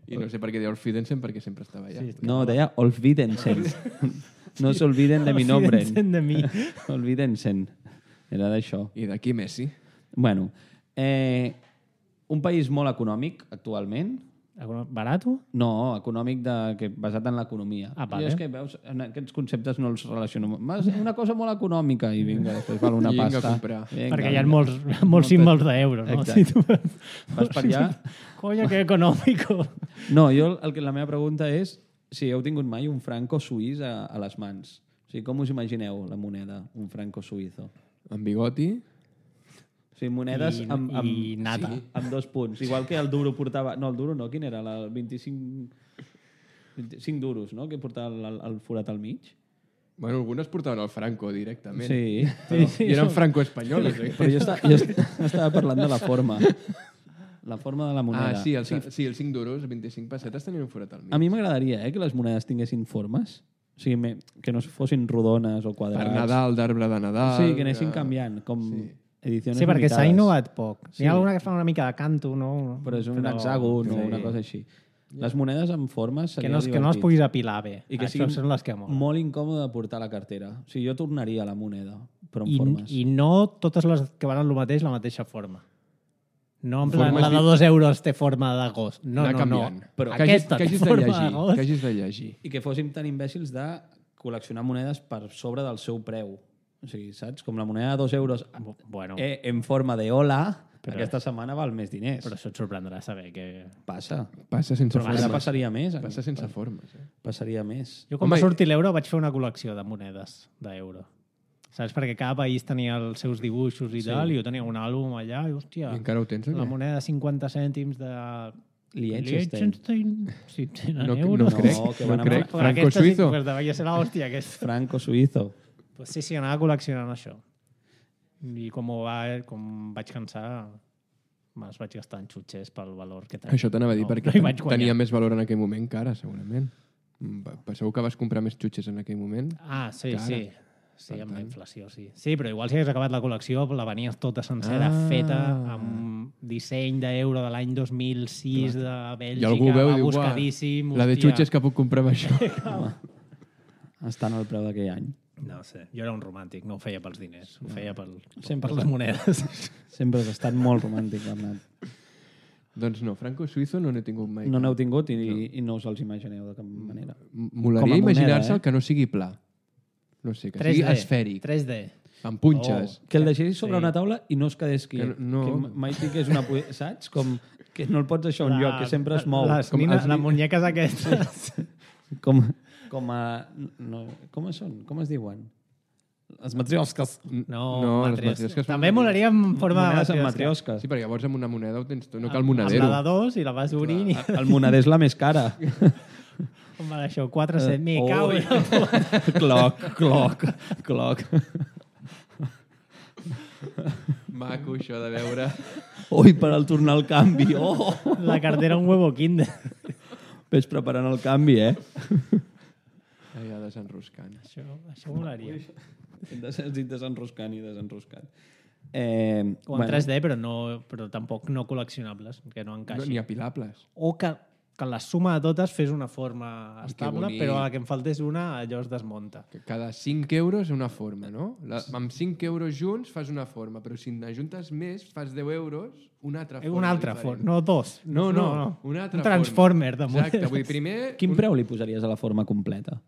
S1: I no sé per què deia Auf Wiedersehen, perquè sempre estava allà.
S2: Sí,
S3: No, deia Olvídense. No se olviden de mi nombre.
S2: Olvídense de mi.
S3: Olvídense. Era d'això.
S1: I d'aquí Messi.
S3: Bueno, eh, un país molt econòmic actualment.
S2: Barato?
S3: No, econòmic de, que, basat en l'economia.
S2: Ah, vale.
S3: I és que, veus, en aquests conceptes no els relaciono. Mas una cosa molt econòmica i vinga, després val una
S1: I vinga a
S3: pasta.
S1: comprar.
S3: Vinga,
S2: Perquè hi ha
S3: vinga.
S2: molts, molts símbols d'euro, no?
S3: Exacte.
S2: Si tu...
S3: Vas per allà.
S2: Coño, que econòmico.
S3: No, jo el que la meva pregunta és si heu tingut mai un franco suís a, a les mans. O sigui, com us imagineu la moneda, un franco suïzo?
S1: Amb bigoti.
S3: O sigui, monedes
S2: I-
S3: amb, amb,
S2: i nata.
S3: Sí, amb dos punts. Igual que el duro portava... No, el duro no, quin era? El vint-i-cinc... vint-i-cinc duros, no?, que portava el, el forat al mig.
S1: Bueno, algunes portaven el franco directament.
S3: Sí.
S1: Però, I eren franco-espanyoles. Eh?
S3: Però jo, està, jo est- estava parlant de la forma. La forma de la moneda.
S1: Ah, sí, el, sí, els cinc duros, vint-i-cinc pessetes tenien un forat al mig.
S3: A mi m'agradaria eh, que les monedes tinguessin formes. O sigui, me, que no fossin rodones o quadrats.
S1: Per Nadal, d'arbre de Nadal...
S3: Sí, que anessin
S1: eh,
S3: canviant, com
S1: Sí.
S3: edicions
S2: Sí, perquè s'ha
S3: limitades.
S2: innovat poc.
S3: Sí.
S2: N'hi ha alguna que fa una mica de canto, no?
S3: Però és un hexàgon o
S2: sí.
S3: una cosa així. Les monedes amb formes
S2: Que
S3: seria
S2: no, que no les
S3: divertit.
S2: puguis apilar bé.
S3: I que
S2: Això
S3: sigui
S2: són les que molen.
S3: molt incòmode de portar a la cartera. O sigui, jo tornaria la moneda, però amb
S2: I,
S3: formes.
S2: I no totes les que van el mateix, la mateixa forma. No en plan,
S1: Formes
S2: la de
S1: di-
S2: dos euros té forma de gos. No,
S1: anar
S2: no, no.
S1: canviant.
S3: Però
S1: que hagis,
S2: aquesta
S1: que
S2: té
S1: hagis de
S2: forma de
S1: llegir,
S2: gos.
S1: que hagis de llegir.
S3: I que fóssim tan imbècils de col·leccionar monedes per sobre del seu preu. O sigui, saps? Com la moneda de dos euros
S2: Bueno,
S3: eh, en forma de hola,
S2: Però-
S3: aquesta setmana val més diners.
S2: però això et sorprendrà saber que...
S3: Passa.
S1: Passa sense
S3: Ara
S1: formes.
S3: passaria més.
S1: Passa sense formes. Eh?
S3: Passaria més.
S2: Jo quan
S1: Home,
S2: va sortir l'euro vaig fer una col·lecció de monedes d'euro. Saps? Perquè cada país tenia els seus dibuixos i
S3: Sí.
S2: tal, i jo tenia un àlbum allà, i hòstia,
S1: I encara ho tens, o
S2: la
S1: què?
S2: moneda de cinquanta cèntims de...
S3: Liechtenstein.
S2: Liechtenstein. Sí, tenen
S1: No,
S2: euros.
S1: no crec,
S3: que
S1: no
S3: van amb-
S1: crec.
S2: Però aquesta sí,
S1: Franco-suïzo.
S2: pues devia ser l'hòstia. Que és...
S3: Franco-suïzo.
S2: Pues sí, sí, anava col·leccionant això. I com, ho va, com vaig cansar, me'ls vaig gastar en xutxes pel valor que tenia.
S1: Això t'anava a dir,
S2: No,
S1: perquè
S2: no hi vaig guanyar.
S1: tenia més valor en aquell moment que ara, segurament. Mm, va- Penseu que vas comprar més xutxes en aquell moment?
S2: Ah, sí,
S1: que ara.
S2: sí. Sí,
S1: Per
S2: amb la
S1: tant.
S2: inflació, sí. Sí, però igual si hagués acabat la col·lecció, la venies tota sencera,
S1: Ah.
S2: feta, amb disseny d'euro de l'any dos mil sis de Bèlgica,
S1: I algú veu i
S2: va
S1: diu, "Uah,
S2: buscadíssim.
S1: la de
S2: hòstia."
S1: xutxes que puc comprar amb això.
S3: Estan al preu d'aquell any.
S2: No sé, jo era un romàntic, no ho feia pels diners, ho feia pel,
S3: Sempre
S2: per les
S3: està.
S2: monedes.
S3: Sempre has estat molt romàntic, Bernat.
S1: Doncs no, franco-suïzo no n'he tingut mai.
S3: No n'heu tingut i no. i no us els imagineu de cap manera.
S1: M-
S3: Com
S1: Molaria
S3: a moneda,
S1: imaginar-se
S3: eh?
S1: el que no sigui pla. No sé, que
S2: tres
S1: sigui
S2: D.
S1: esfèric,
S2: tres D.
S1: amb punxes.
S3: Que el deixessis sobre
S2: Sí.
S3: una taula i no es quedés quiet.
S1: Que no-
S3: Que mai fiqués una... pu- Saps? Com que no el pots deixar a un
S2: La-
S3: lloc, que sempre es mou.
S2: Les,
S1: Com
S2: nina,
S1: els
S2: les
S1: ni-
S2: muñeques aquestes.
S3: Com, com a... No, com són? Com es diuen? Les matriosques.
S2: No,
S1: No, les
S2: matriosques.
S1: matriosques són-
S2: També molaria en forma
S3: Monedes
S2: de
S3: amb
S2: matriosca.
S3: matriosques.
S1: Sí, perquè llavors amb una moneda ho tens tot, no cal
S2: Amb
S1: monedero.
S2: la de dos i la vas obrint i
S3: El moneder és la més cara.
S2: com va això, quatre, set, me
S3: Oh.
S2: cau i
S3: Cloc, cloc, cloc.
S1: Maco, això de veure...
S3: Ui, per al tornar el canvi. Oh!
S2: la cartera un huevo kinder.
S3: Ves preparant el canvi, eh?
S1: Allà desenroscant.
S2: Això, això molaria.
S3: Has dit desenroscant i desenroscant. Eh,
S2: O en tres D, però, no, però tampoc no col·leccionables, que no
S1: No,
S2: encaixi.
S1: ni apilables.
S2: O que que la suma de totes fes una forma estable,
S1: bonic.
S2: però a la que em faltés una, allò es desmunta.
S1: Que cada cinc euros una forma, no? La, amb cinc euros junts fas una forma, però si n'ajuntes més, fas deu euros, una altra forma.
S2: Una altra
S1: diferent.
S2: forma, no dos.
S1: No, no, no, una altra
S2: un transformer
S1: forma.
S2: de
S1: Exacte, vull dir, primer...
S3: Quin
S1: un...
S3: preu li posaries a la forma completa?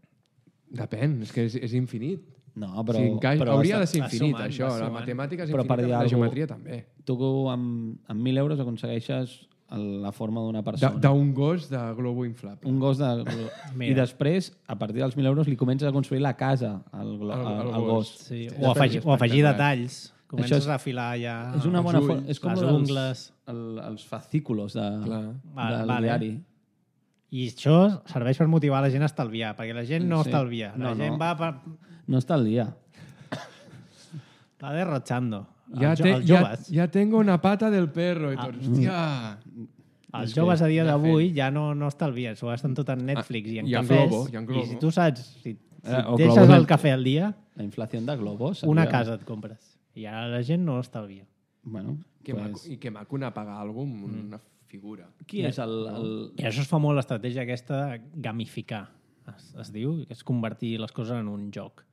S1: Depèn, és que és, és infinit.
S3: No, però...
S1: Si encaix...
S3: però
S1: Hauria de
S3: està-
S1: ser
S2: va
S1: infinit,
S2: sumant,
S1: això.
S2: va
S1: La
S2: sumant.
S1: matemàtica és
S3: Però per
S1: infinita,
S3: dir
S1: però la
S3: alguna
S1: geometria també.
S3: Tu amb, amb mil euros aconsegueixes el- la forma d'una
S1: Da-
S3: persona.
S1: D'un gos de globo inflable.
S3: Un gos de... I
S2: Mira.
S3: després, a partir dels mil euros, li comences a construir la casa al, glo-
S1: Al-
S3: al,
S1: al
S3: al
S1: gos.
S3: gos.
S2: Sí,
S1: Hosti,
S2: o, afegir, o afegir
S1: espectacular.
S2: detalls. Comences
S3: Això és-
S2: a afilar ja
S3: És una
S1: els
S3: bona
S1: ulls,
S3: forma. És com
S2: les
S3: lo dels-
S2: ungles.
S3: El, els fascículos de,
S1: Clar.
S2: Vale,
S3: del
S2: vale.
S3: diari.
S2: I això serveix per motivar la gent a estalviar, perquè la gent no
S3: Sí.
S2: estalvia. La
S3: No,
S2: gent
S3: no.
S2: va, per,
S3: No està al dia.
S2: va derrochando.
S1: Ja,
S2: els, jo-
S1: te,
S2: els
S1: ja,
S2: joves,
S1: ja tengo una pata del perro. I
S2: Ah.
S1: tots, hòstia...
S2: els
S3: és
S2: joves
S3: que
S2: a dia
S1: ja
S2: d'avui ja no, no estalvien, s'ho gasten tot en Netflix i en
S1: Ah, i en
S2: cafès.
S1: Globo, i en Globo.
S2: I si tu saps, si, si
S3: Eh, o
S2: deixes
S3: Globo
S2: el
S3: net-
S2: cafè al dia,
S3: La inflació de globos.
S2: una
S3: seria-
S2: casa et compres. I ara la gent no estalvia.
S3: Bueno,
S1: Que
S3: pues...
S1: maco, I que maco anar a pagar alguna cosa amb una figura.
S3: Qui és el... el...
S2: I això es fa molt l'estratègia aquesta de gamificar, es, es diu, que és convertir les coses en un joc.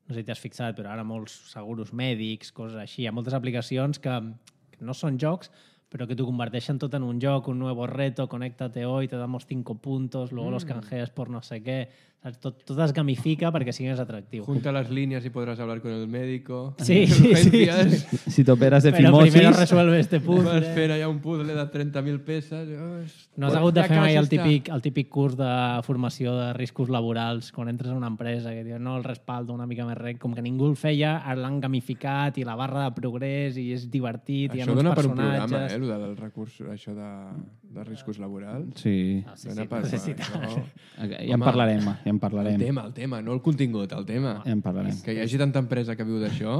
S2: No sé si t'has fixat, però ara molts seguros mèdics, coses així, hi ha moltes aplicacions que, que no són jocs, però que t'ho converteixen tot en un joc, un nuevo reto, conéctate hoy, te damos cinco puntos, luego mm. los canjeas por no sé qué. Saps? Tot, tot es gamifica perquè sigui més atractiu.
S1: Junta las líneas y podrás hablar con el médico.
S2: Sí, sí, sí, sí.
S3: Si t'operes de
S2: Però
S3: fimosis...
S2: primero resuelve este
S1: Vas
S2: puzzle.
S1: fer allà un puzzle de trenta mil peces. Oh,
S2: No has hagut de
S1: ja
S2: fer mai
S1: quasi
S2: el
S1: està.
S2: típic, el típic curs de formació de riscos laborals quan entres a una empresa que diu no, el respaldo una mica més rec, com que ningú el feia, ara l'han gamificat i la barra de progrés i és divertit, i hi ha
S1: Això
S2: uns
S1: dona per un
S2: personatges...
S1: programa, eh, el del recurs, això de, de riscos laborals.
S3: Sí,
S2: Ah, sí,
S1: Dona
S2: sí,
S1: per,
S2: no sé si
S1: això.
S3: ja en
S1: Home,
S3: parlarem, ja en
S1: El
S3: parlarem.
S1: tema, el tema, no el contingut, el tema.
S3: Ja en parlarem.
S1: Que hi hagi tanta empresa que viu d'això...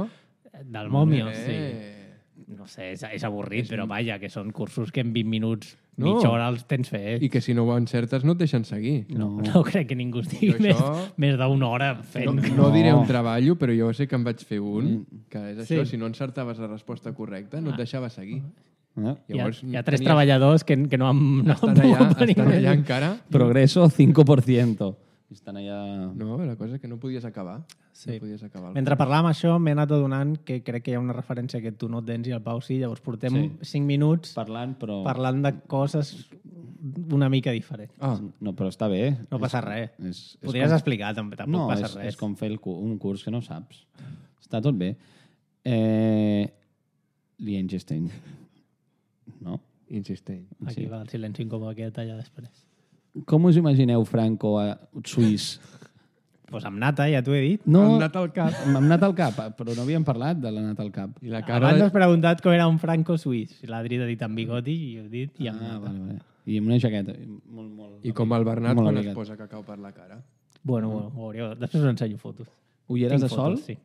S2: Del Momio,
S1: eh,
S2: sí. No sé, és, és avorrit, però vaja, que són cursos que en vint minuts,
S1: No.
S2: mitja hora els tens fet.
S1: I que si no ho encertes no et deixen seguir.
S2: No, no crec que ningú estigui
S1: Jo
S2: més,
S1: això-
S2: més d'una hora fent...
S1: No,
S3: No.
S1: no diré un treball, però jo sé que em vaig fer un, que és això,
S2: Sí.
S1: si no encertaves la resposta correcta, no et deixava seguir.
S3: Eh?
S2: Hi ha,
S1: Llavors,
S2: hi ha tres
S1: tenies-
S2: treballadors que, que no han, no han
S1: Estan allà,
S2: pogut venir
S1: estan
S2: més.
S1: allà encara.
S3: Progreso cinco por ciento. Estan allà...
S1: No, la cosa és que no podies acabar.
S2: Sí.
S1: No podies acabar. el
S2: Mentre parlàvem això, m'he anat adonant que crec que hi ha una referència que tu no tens i el Pau sí, llavors portem
S3: Sí.
S2: cinc minuts
S3: Parlant, però...
S2: parlant de coses una mica diferents.
S1: Ah,
S3: No, però està bé.
S2: No passa res.
S3: És, és
S2: Podries
S3: com...
S2: explicar, tam- tampoc
S3: No,
S2: passa
S3: és,
S2: res.
S3: és com fer el, cu- un curs que no saps. Està tot bé. Eh... Liechtenstein. No?
S1: insistent.
S2: Aquí
S3: Sí.
S2: va el silenci incòmode que talla després.
S3: Com us imagineu Franco a suís?
S2: Doncs pues amb nata, ja t'ho he dit.
S3: No,
S1: Hem anat al cap.
S3: m'hem anat al cap, però no havíem parlat de l'anat al cap.
S1: I la cara...
S2: Abans
S1: De...
S2: has preguntat com era un franco suís. I l'Adri t'ha dit amb bigoti i ho he dit i amb
S3: Ah,
S2: nata.
S3: vale, vale. I amb una jaqueta. Molt, molt...
S1: I com el Bernat
S3: molt
S1: quan es
S3: abrigat.
S1: posa cacau per la cara.
S2: Bueno, bueno, ho hauríeu... Després us ensenyo fotos.
S3: Ulleres
S2: Tinc
S3: de sol?
S2: fotos, sí.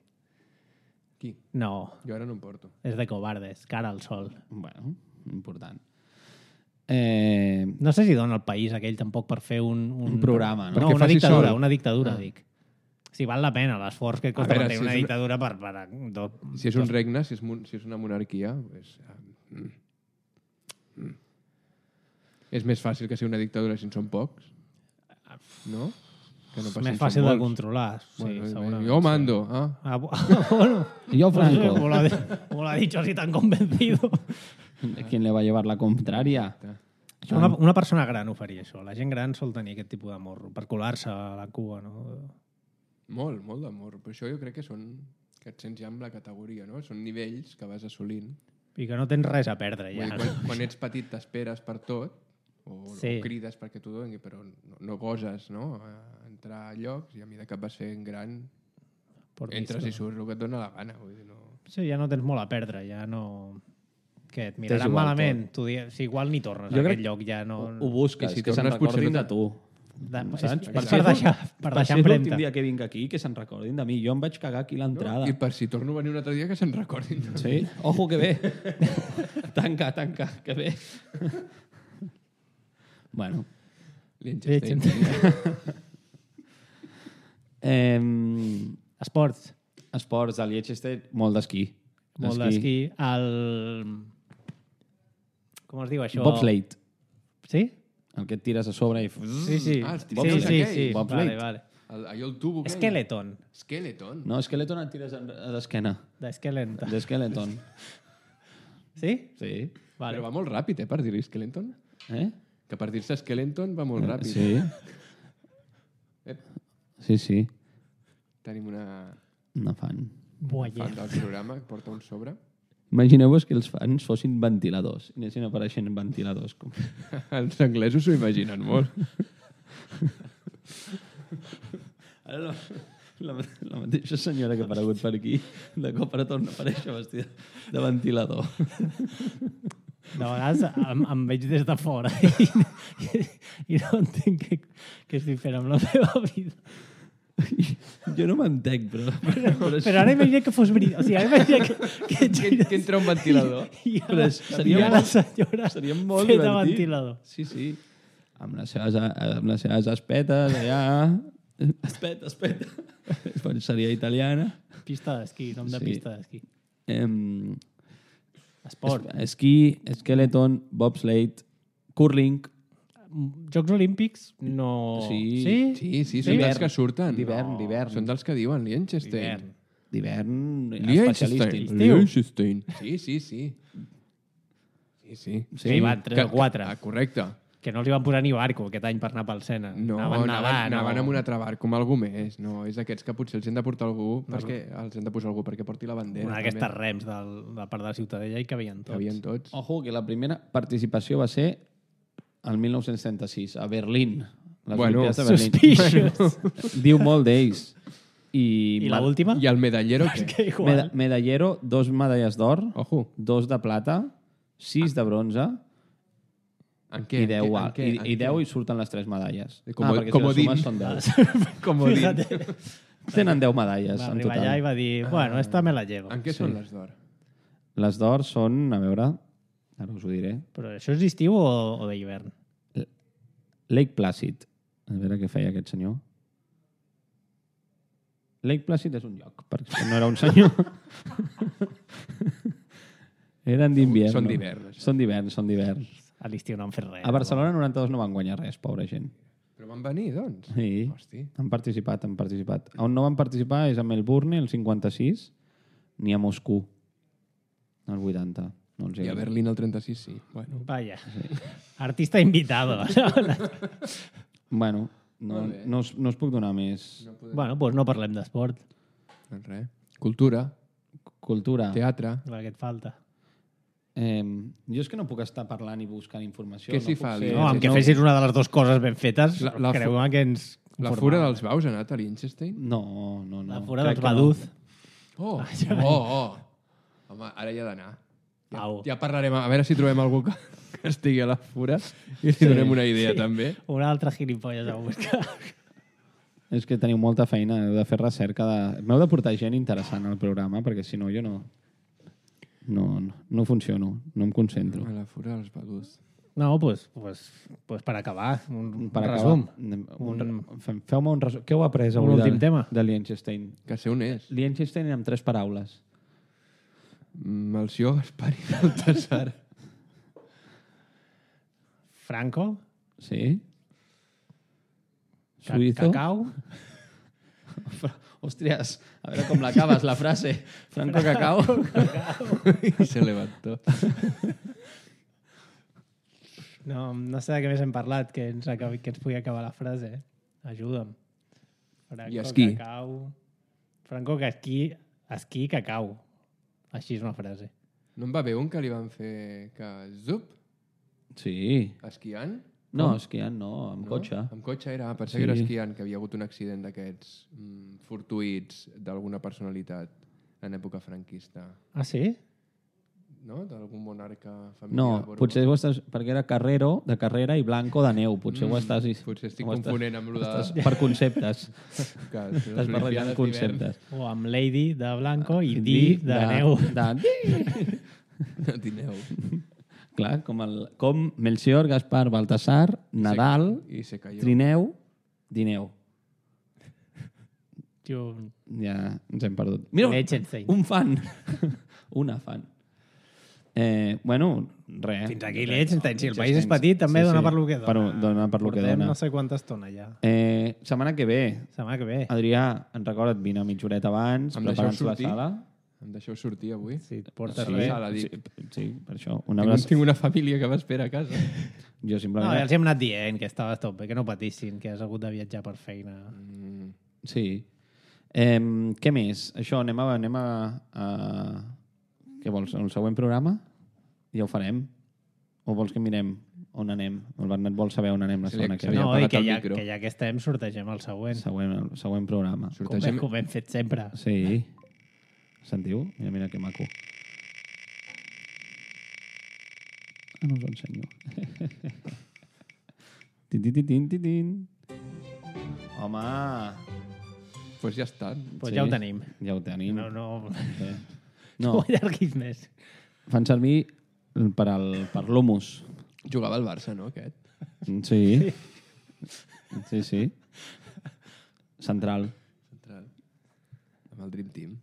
S1: Qui?
S2: No,
S1: Jo ara no em porto.
S2: és de covardes, cara al sol.
S3: Bueno, important. Eh,
S2: No sé si dona el país aquell tampoc per fer un... Un,
S3: Un programa, no?
S2: No,
S1: Perquè
S2: una
S1: faci
S2: dictadura,
S1: sol.
S2: una dictadura,
S3: Ah.
S2: dic. Si val la pena l'esforç que costa
S1: veure,
S2: mantenir
S1: si
S2: una
S1: és una-
S2: dictadura per... per do,
S1: Si és un regne, si és, mon... si és una monarquia, pues, uh, mm. Mm. és més fàcil que sigui una dictadura si en són pocs. No? Que no
S2: és
S1: pas si
S2: més
S1: en
S2: fàcil
S1: són
S2: de
S1: molts.
S2: controlar. Sí,
S1: Bueno,
S2: segurament.
S1: jo mando. Ah.
S2: Ah, bu- bueno,
S3: yo, Franco.
S2: como lo, ha, como lo ha dicho así tan convencido.
S3: ¿Quién le va a llevar la contraria?
S2: Això una, una persona gran ho faria, això. La gent gran sol tenir aquest tipus de morro, per colar-se a la cua, no?
S1: Molt, molt d'amor. Però això jo crec que són que et sents ja amb la categoria, no? Són nivells que vas assolint.
S2: I que no tens res a perdre,
S1: Vull
S2: ja.
S1: dir, quan, quan ets petit t'esperes per tot, o,
S2: Sí.
S1: o crides perquè t'ho doni, però no, no goses, no? A entrar a llocs i a mesura que vas fent gran
S2: Por
S1: entres
S2: visto.
S1: i surts el que et dona la gana. Vull dir, no...
S2: Sí, ja no tens molt a perdre, ja no... Què, et
S3: T'és
S2: miraran
S3: igual
S2: malament? Tu di... Si igual ni tornes
S3: Jo
S2: a
S3: crec-
S2: aquest lloc, ja no...
S3: Ho busques,
S1: I si
S3: que se'n
S1: tornes, potser
S3: recordin
S1: no
S3: de
S1: te-
S3: tu.
S2: De... És,
S3: Saps?
S2: és
S3: Per
S2: per,
S3: si és
S2: deixar, per
S3: Per
S2: deixar
S3: si és l'últim
S2: empremta.
S3: dia que vinc aquí, que se'n recordin de mi. Jo em vaig cagar aquí a l'entrada.
S1: I per si torno a venir un altre dia que se'n recordin. No?
S3: Sí? Ojo, que bé. tanca, tanca, que bé. bueno.
S1: Liechtenstein.
S3: Eh,
S2: Esports.
S3: esports de Liechtenstein, molt d'esquí.
S2: Molt d'esquí. El... Com es diu això?
S3: Bobsleigh.
S2: Sí?
S3: El que et tires a sobre i...
S2: Sí, sí.
S1: Ah, els
S2: sí,
S1: trineu
S2: sí, sí,
S1: aquell.
S2: sí.
S3: Bobsleigh.
S2: Vale, vale.
S1: El, allò el tubo aquell.
S2: Skeleton.
S1: Skeleton.
S3: No, Skeleton et tires en- a l'esquena.
S2: De Skeleton.
S3: De Skeleton.
S2: Sí?
S3: Sí.
S2: Vale.
S1: Però va molt ràpid, eh, per dir-hi Skeleton.
S3: Eh?
S1: Que per dir-se Skeleton va molt ràpid.
S3: Sí.
S1: Ep,
S3: Sí, sí.
S1: tenim una
S3: No fan.
S2: Buah,
S1: fan del programa que porta un sobre.
S3: Imagineu-vos que els fans fossin ventiladors. I anessin apareixent ventiladors. Com...
S1: Els anglesos s'ho imaginen molt.
S3: Ara la, la, la mateixa senyora que ha aparegut per aquí, de cop ara torna a aparèixer vestida de ventilador.
S2: De vegades em, em veig des de fora i, i, i no entenc què, què estic fent amb la meva vida.
S3: Jo no m'entenc, però... Però, però,
S2: Però ara imagina que fos veritat. O sigui, ara imagina que, que,
S1: Que, que entra un ventilador.
S2: I
S3: Però
S2: ara,
S3: seria
S2: i ara la
S3: molt-
S2: senyora
S3: seria molt
S2: feta
S3: divertit.
S2: ventilador.
S3: Sí, sí. Amb les seves, amb les seves espetes, allà... Espeta, espeta. Seria italiana.
S2: Pista d'esquí, nom de
S3: Sí.
S2: pista d'esquí.
S3: Em,
S2: Esport.
S3: es- esquí, skeleton, bobsleigh, curling...
S2: Jocs Olímpics no...
S3: Sí.
S2: Sí?
S1: Sí, sí, són
S3: D'hivern.
S1: dels que surten.
S3: D'hivern, d'hivern.
S1: Són dels que diuen Liechtenstein.
S2: D'hivern.
S3: D'hivern
S1: Liechtenstein.
S3: especialístic.
S1: Liechtenstein. Sí, sí, sí. Sí, sí.
S2: Sí, van tres o quatre.
S1: Ah, correcte.
S2: Que no els hi van posar ni barco aquest any per anar pel Sena.
S1: No,
S2: anaven
S1: anaven,
S2: nedant,
S1: anaven
S2: no.
S1: amb un altre barc, com algú més. No, és aquests que potser els hem de portar algú perquè els hem de posar algú perquè porti la bandera.
S2: Una d'aquestes rems del, de part de la Ciutadella i que havien
S1: Que
S2: tots.
S1: havien tots.
S3: Ojo, que la primera participació va ser el mil nou-cents trenta-sis, a Berlín. Les
S1: Bueno,
S3: Olimpiades de Berlín.
S2: Suspicious.
S3: Diu molt d'ells. I,
S2: I l'última?
S1: I el medallero,
S2: És
S1: què?
S2: que igual.
S3: Meda medallero, dos medalles d'or,
S1: Ojo.
S3: dos de plata, sis de bronze
S1: En què?
S3: i deu,
S1: En
S3: a-
S1: què?
S3: i,
S1: En
S3: i
S1: què?
S3: deu i surten les tres medalles.
S1: Com-
S3: ah, perquè
S1: comodín.
S3: si les sumes són deu.
S1: Comodín.
S3: Tenen deu medalles
S2: Va
S3: en
S2: arribar allà i
S3: total.
S2: va dir, bueno, esta me la llevo.
S1: En què són les d'or?
S3: Les d'or són, a veure, ara us ho diré,
S2: Però això és d'estiu o, o d'hivern?
S3: Lake Placid. A veure què feia aquest senyor. Lake Placid és un lloc, perquè no era un senyor. Eren d'hivern.
S1: Són
S3: no?
S1: d'hivern, això.
S3: Són d'hivern, són d'hivern.
S2: A l'estiu no han fet res.
S3: A Barcelona noranta-dos no van guanyar res, pobra gent.
S1: Però van venir, doncs.
S3: Sí,
S1: Hosti.
S3: han participat, han participat. On no van participar és a Melbourne, el cinquanta-sis, ni a Moscou, el vuitanta. No els hi
S1: I a
S3: agrada.
S1: Berlín el trenta-sis, sí. Bueno.
S2: Vaya. Artista invitado.
S3: Bueno, no,
S1: Molt bé.
S3: no, us, no us puc donar més.
S1: No podem...
S2: bueno, doncs no parlem d'esport.
S1: Doncs res. Cultura,
S3: Cultura.
S1: teatre.
S2: El que et falta.
S3: Eh, jo és que no puc estar parlant i buscant informació.
S1: Què
S3: no
S1: s'hi
S3: puc
S1: fa,
S3: ser-
S1: Sí,
S2: No, amb
S1: sí,
S2: que
S1: no.
S2: fessis una de les dues coses ben fetes,
S1: La- la fu-
S2: creu-me que ens...
S1: La
S2: conformàvem.
S1: Fura dels Baus ha anat a Liechtenstein?
S3: No, no, no.
S2: La Fura
S3: Crec
S2: dels
S3: que no.
S2: Baduz.
S1: Oh,
S2: Ah,
S1: oh, oh. Home, ara hi ha d'anar. Ja,
S2: Au.
S1: ja parlarem, a veure si trobem algú que, que estigui a la Fura i li donem una idea, també.
S2: Un altre gilipolles a buscar.
S3: És que teniu molta feina, heu de fer recerca. De... M'heu de portar gent interessant al programa, perquè si no jo no... No, no, no funciono, no em concentro.
S1: A la Fura dels Baduz.
S2: No, doncs pues, pues, pues per acabar, un,
S3: Per
S2: un
S3: acabar,
S2: resum.
S3: un,
S2: Un-
S3: un... feu-me un resum. Què heu après
S2: Un
S3: avui
S2: últim
S3: de,
S2: tema.
S3: de Liechtenstein?
S1: Que sé on és.
S3: Liechtenstein amb tres paraules.
S1: Melcior, Gaspar i Baltasar.
S2: Franco,
S3: Sí?
S2: ca
S3: Suïzo?
S2: cacau,
S3: Hòsties, a veure com l'acabes, la frase. Franco Cacao.
S1: I se levantó.
S2: no, no sé de què més hem parlat, que ens, acabi, que ens pugui acabar la frase. Ajuda'm. Franco,
S1: I esquí.
S2: Cacau. Franco, que esquí, esquí, cacau. Així és una frase.
S1: No en va bé un que li van fer que zup,
S3: Sí.
S1: esquiant?
S3: No, esquiant no, amb
S1: No?
S3: cotxe.
S1: Amb cotxe era, pensava
S3: Sí.
S1: que era esquiant, que havia hagut un accident d'aquests mm, fortuïts d'alguna personalitat en època franquista.
S2: Ah, sí?
S1: No? D'algun monarca familiar.
S3: No,
S1: borbó.
S3: potser ho estàs... Perquè era Carrero, de carrera, i Blanco, de neu. Potser ho estàs...
S1: Potser estic
S3: ho estàs-
S1: confonent amb lo de...
S3: estàs per conceptes.
S1: que les
S3: Estàs barrejant
S1: Olimpiades
S3: conceptes.
S2: O amb Lady de Blanco i
S3: Di
S2: Di de, neu.
S3: De...
S1: d'hivern. No tineu.
S3: Clar, com, el, com Melcior, Gaspar, Baltasar, Nadal,
S1: I se cayó.
S3: Trineu, Dineu.
S2: Jo...
S3: Ja ens hem perdut. Mira,
S2: Liechtenstein.
S3: un fan. Una fan. Eh, bueno, res.
S2: Fins aquí lleig, si el país és petit, també
S3: Sí,
S2: dona
S3: sí.
S2: per lo que
S3: Per,
S2: dona.
S3: dona per lo que
S2: Portem
S3: dona.
S2: no sé quanta estona ja.
S3: Eh, setmana que ve,
S2: Setmana que ve.
S3: Adrià, en recorda't, vine mitja horeta abans,
S1: Em deixeu
S3: preparant-se la
S1: sortir?
S3: sala.
S1: Em deixeu sortir avui?
S2: Si et portes
S3: Sí,
S2: res.
S1: sala,
S3: sí,
S1: dic.
S3: sí, per això. Una
S1: Tinc,
S3: abraç...
S1: tinc una família que m'espera a casa.
S3: Jo
S2: No,
S3: simplement...
S2: ja els hem anat dient que estaves tot bé, que no patissin, que has hagut de viatjar per feina.
S1: Mm,
S3: Sí. Eh, què més? Això, anem a... Anem a, a... Què vols? El següent programa? Ja ho farem? O vols que mirem on anem? El Bernat vol saber on anem la
S1: Se li-
S3: setmana
S1: se
S3: que
S1: li
S3: ve.
S1: ha
S2: No, i
S1: apagat
S2: que
S1: el
S2: ja,
S1: micro.
S2: que ja que estem, sortegem el següent.
S3: Següent, el següent programa.
S2: Com,
S1: sortegem...
S2: com hem fet sempre.
S3: Sí. Sentiu? Mira, mira que maco. Ah, no us ho ensenyo. tin, tin, tin, tin, tin, tin. Home!
S1: Doncs pues ja està.
S2: Pues ja ho tenim.
S3: Ja ho tenim.
S2: No, no,
S3: Sí.
S2: no
S3: No,
S2: ho allarguis més.
S3: fan servir per, al, per l'humus.
S1: Jugava al Barça, no, aquest?
S3: Sí. Sí, sí. Central.
S1: Central. Amb el Dream Team.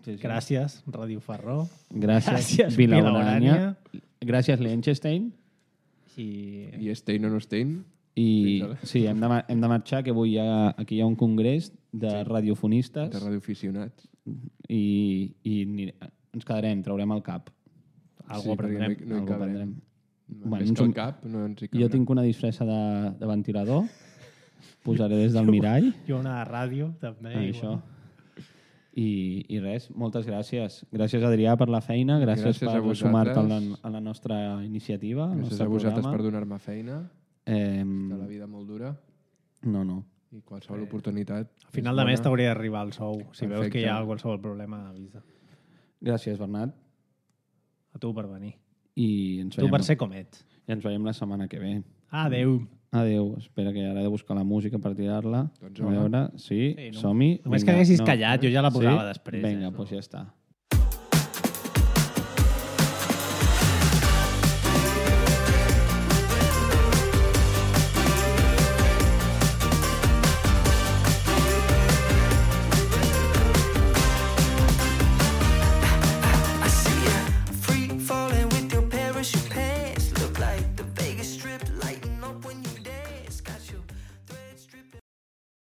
S3: Sí, sí.
S2: Gràcies, Ràdio Ferró.
S3: Gràcies,
S2: Gràcies,
S3: Vilaurània. Gràcies, Liechtenstein.
S2: I...
S1: I Stein o no Stein?
S3: I
S1: Fins ara.
S3: sí, hem de, ma- hem de marxar, que avui hi ha, aquí hi ha un congrés de sí. radiofonistes
S1: De radioaficionats.
S3: i, i ni- ens quedarem, traurem el cap.
S2: Algú
S1: perquè
S2: aprendrem.
S1: No hi, no hi
S3: Algú
S1: cabrem.
S3: aprendrem.
S1: Bueno,
S3: Bueno,
S1: Més
S3: ens
S1: que el
S3: un-
S1: cap, no ens hi
S3: Jo
S1: cabrà.
S3: tinc una disfressa de, de ventilador, posaré des del mirall.
S2: Jo una ràdio, també.
S3: Ah,
S2: i
S3: això.
S2: bueno.
S3: I, I res, moltes gràcies. Gràcies, Adrià, per la feina. Gràcies,
S1: Gràcies a
S3: per
S1: vosaltres.
S3: sumar-te a, la, a la nostra iniciativa, al
S1: Gràcies
S3: nostre
S1: a vosaltres
S3: programa.
S1: per donar-me feina,
S3: Eh,
S1: de la vida molt dura,
S3: no, no.
S1: i qualsevol oportunitat.
S2: A final de mes t'hauria d'arribar el sou. Si veus
S1: Perfecte.
S2: que hi ha qualsevol problema, avisa.
S3: Gràcies, Bernat.
S2: A tu per venir.
S3: I ens
S2: Tu
S3: veiem,
S2: per ser com ets.
S3: I ens veiem la setmana que ve.
S2: Adéu.
S3: Adéu. Espera que ara he de buscar la música per tirar-la.
S1: Doncs
S3: a
S1: home.
S3: veure, sí,
S2: Sí, no.
S3: som-hi.
S2: Només
S3: Vinga,
S2: que haguessis callat, jo ja la posava
S3: sí?
S2: després,
S3: Vinga,
S2: eh,
S3: doncs ja està.